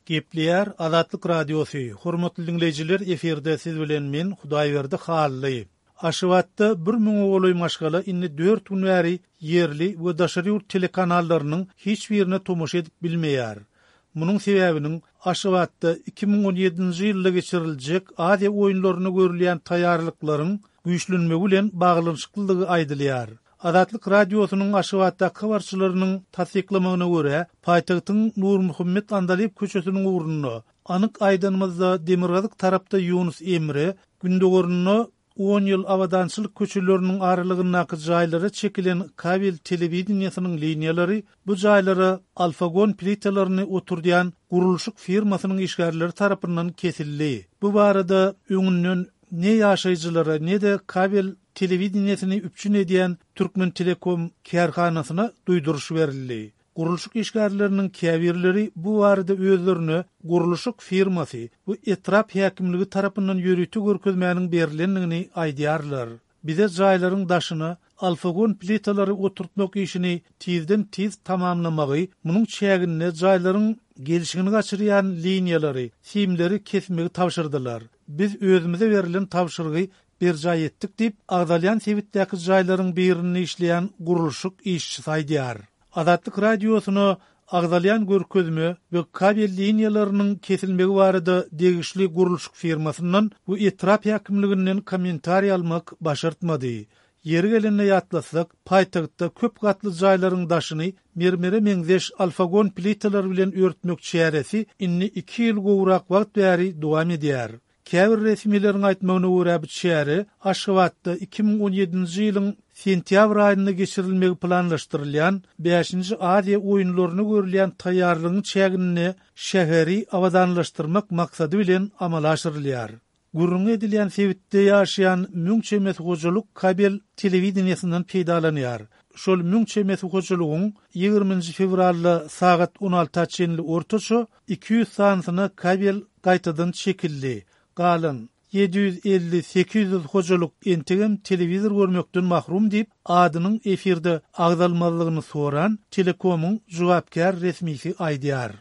Gepleýär Azatlyk Radiosy, Hormatly diňleýjiler efirde siz bilen men Hudaýberdi Hally. Aşgabatda bir müňe golaý maşgala indi dört gün bäri ýerli we daşary ýurt telekanallarynyň hiç birine tomaşa edip bilmeýär. Munuň sebäbiniň Aşgabatda 2017-nji ýylda geçiriljek Aziýa oýunlaryna görülýän taýýarlyklaryň güýçlenmegi bilen baglanyşyklydygy aýdylýar. Azatlyk Radiosynyň Aşgabatdaky habarçylarynyň tassyklamagyna görä, paýtagtyň Nurmuhammet Andalyp köçesiniň ugrunda, anyk aýdanymyzda demirgazyk tarapda Ýunus Emre, gündogarynda On ýyl Abadançylyk köçeleriniň aralygyndaky jaýlara çekilen kabel telewideniýesiniň liniýalary bu jaýlara alfagon plitalaryny oturdýan gurluşyk firmasynyň işgärleri tarapyndan kesildi. Bu barada öňünden ne ýaşaýjylara, ne-de kabel telewideniýesini üpjün edýän Türkmentelekom kärhanasyna duýduryş berildi. Gurluşyk işgärleriniň käbirleri bu barada özlerine gurluşyk firmasy we etrap häkimligi tarapyndan ýörite görkezmäniň berlendigini aýdýarlar. Bize jaýlaryň daşyna alfagon plitalary oturtmak işini tizden-tiz tamamlamagy, munuň çäginde jaýlaryň gelşigini gaçyrýan liniýalary, simleri kesmegi tabşyrdylar. Biz özümize berlen tabşyrygy berjaý etdik diýip, agzalýan sebitdäki jaýlaryň birinde işleýän gurluşyk işçisi aýdýar. Azatlyk Radiosyna agzalýan görkezme we kabel liniýalarynyň kesilmegi barada degişli gurluşyk firmasyndan we etrap häkimliginden kommentariý almak başartmady. Ýeri gelende ýatlatsak, paýtagtda köp gatly jaýlaryň daşyny mermere meňzeş alfagon plitalar bilen örtmek çäresi indi iki ýyl gowrak wagt bäri dowam edýär. Käbir resmileriň aýtmagyna görä, bu çäre Aşgabatda 2017-nji ýylyň sentýabr aýynda geçirilmegi planlaşdyrylýan bäşinji Aziýa oýunlaryna görülýän taýýarlygyň çäginde şäheri abadanlaşdyrmak maksady bilen amala aşyrylýar. Gürrüňi edilýän sebitde ýaşaýan müň çemesi hojalyk kabel telewideniýesinden peýdalanýar. Şol müň çemesi hojalygyň ýigriminji fewralda sagat on alta çenli ortaça 200 sanysyna kabel gaýtadan çekildi. Galan 750-800 hojalyk entegem telewizor görmekden mahrum diýip, adynyň efirde agzalmazlygyny soran Telekomyň jogapkär resmisi aýdýar.